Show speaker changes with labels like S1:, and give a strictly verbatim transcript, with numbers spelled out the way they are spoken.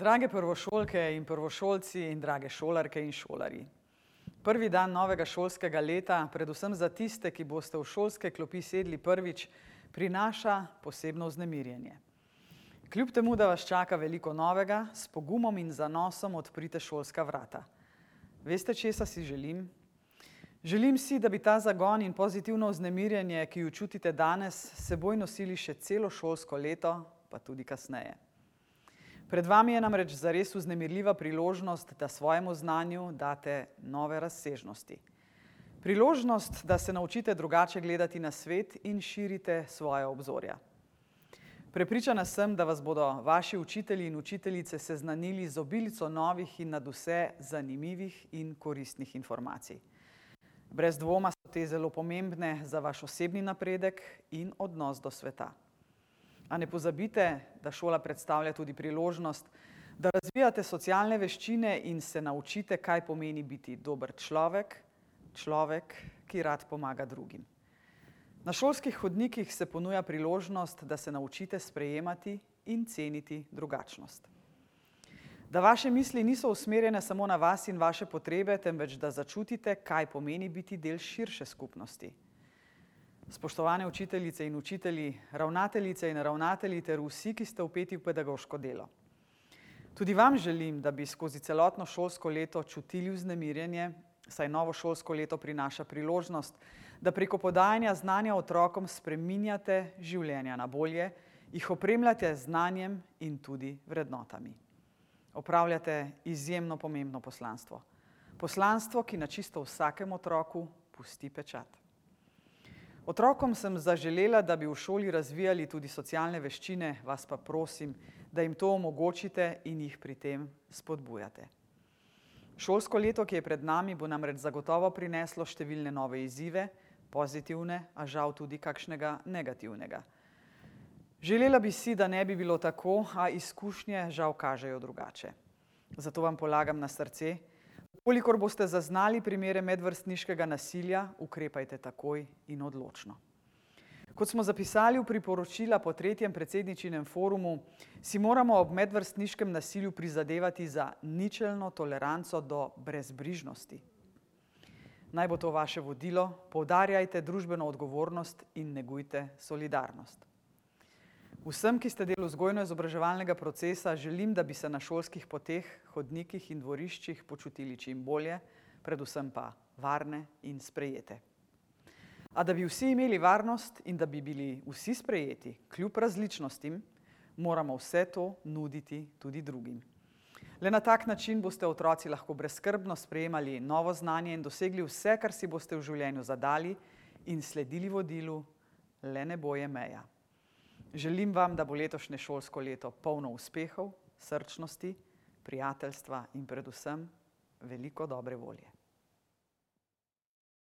S1: Drage prvošolke in prvošolci in drage šolarke in šolarji. Prvi dan novega šolskega leta, predvsem za tiste, ki boste v šolske klopi sedli prvič, prinaša posebno vznemirjenje. Kljub temu, da vas čaka veliko novega, s pogumom in zanosom odprite šolska vrata. Veste, česa si želim? Želim si, da bi ta zagon in pozitivno vznemirjenje, ki jo čutite danes, seboj nosili še celo šolsko leto, pa tudi kasneje. Pred vami je namreč zares vznemirljiva priložnost, da svojemu znanju date nove razsežnosti. Priložnost, da se naučite drugače gledati na svet in širite svoje obzorja. Prepričana sem, da vas bodo vaši učitelji in učiteljice seznanili z obilico novih in nadvse zanimivih in koristnih informacij. Brez dvoma so te zelo pomembne za vaš osebni napredek in odnos do sveta. A ne pozabite, da šola predstavlja tudi priložnost, da razvijate socialne veščine in se naučite, kaj pomeni biti dober človek, človek, ki rad pomaga drugim. Na šolskih hodnikih se ponuja priložnost, da se naučite sprejemati in ceniti drugačnost. Da vaše misli niso usmerjene samo na vas in vaše potrebe, temveč da začutite, kaj pomeni biti del širše skupnosti. Spoštovane učiteljice in učitelji, ravnateljice in ravnatelji ter vsi, ki ste vpeti v pedagoško delo. Tudi vam želim, da bi skozi celotno šolsko leto čutili vznemirjenje, saj novo šolsko leto prinaša priložnost, da preko podajanja znanja otrokom spreminjate življenja na bolje, jih opremljate z znanjem in tudi vrednotami. Opravljate izjemno pomembno poslanstvo. Poslanstvo, ki na čisto vsakem otroku pusti pečat. Otrokom sem zaželela, da bi v šoli razvijali tudi socialne veščine, vas pa prosim, da jim to omogočite in jih pri tem spodbujate. Šolsko leto, ki je pred nami, bo namreč zagotovo prineslo številne nove izzive, pozitivne, a žal tudi kakšnega negativnega. Želela bi si, da ne bi bilo tako, a izkušnje žal kažejo drugače. Zato vam polagam na srce, kolikor boste zaznali primere medvrstniškega nasilja, ukrepajte takoj in odločno. Kot smo zapisali v priporočila po tretjem predsedničinem forumu, si moramo ob medvrstniškem nasilju prizadevati za ničelno toleranco do brezbrižnosti. Naj bo to vaše vodilo, poudarjajte družbeno odgovornost in negujte solidarnost. Vsem, ki ste del vzgojno-izobraževalnega procesa, želim, da bi se na šolskih poteh, hodnikih in dvoriščih počutili čim bolje, predvsem pa varne in sprejete. A da bi vsi imeli varnost in da bi bili vsi sprejeti, kljub različnostim, moramo vse to nuditi tudi drugim. Le na tak način boste otroci lahko brezskrbno sprejemali novo znanje in dosegli vse, kar si boste v življenju zadali in sledili vodilu, le nebo je meja. Želim vam, da bo letošnje šolsko leto polno uspehov, srčnosti, prijateljstva in predvsem veliko dobre volje.